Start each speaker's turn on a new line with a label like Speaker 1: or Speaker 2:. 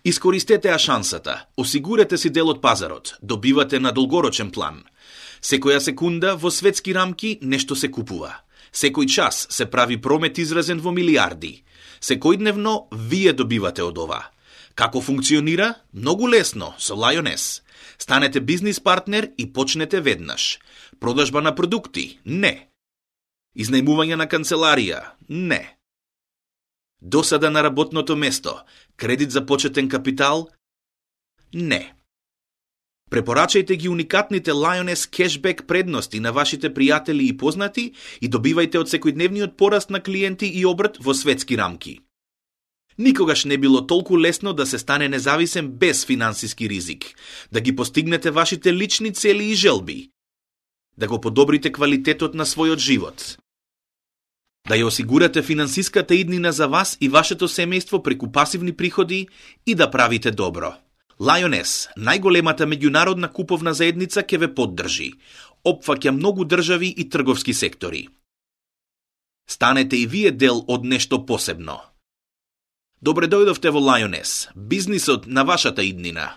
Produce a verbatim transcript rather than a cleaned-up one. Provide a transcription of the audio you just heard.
Speaker 1: Искористете ја шансата, осигурете си дел од пазарот, добивате на долгорочен план. Секоја секунда во светски рамки нешто се купува. Секој час се прави промет изразен во милиарди. Секојдневно вие добивате од ова. Како функционира? Многу лесно, со Lioness. Станете бизнис партнер и почнете веднаш. Продажба на продукти? Не. Изнајмување на канцеларија? Не. Досада на работното место? Кредит за почетен капитал? Не. Препорачајте ги уникатните Lioness кешбек предности на вашите пријатели и познати и добивајте од секојдневниот пораст на клиенти и обрт во светски рамки. Никогаш не било толку лесно да се стане независен без финансиски ризик, да ги постигнете вашите лични цели и желби, да го подобрите квалитетот на својот живот, да ја осигурате финансиската иднина за вас и вашето семејство преку пасивни приходи и да правите добро. Lioness, најголемата меѓународна куповна заедница, ќе ве поддржи. Опфаќа многу држави и трговски сектори. Станете и вие дел од нешто посебно. Добре дојдовте во Lioness, бизнисот на вашата иднина.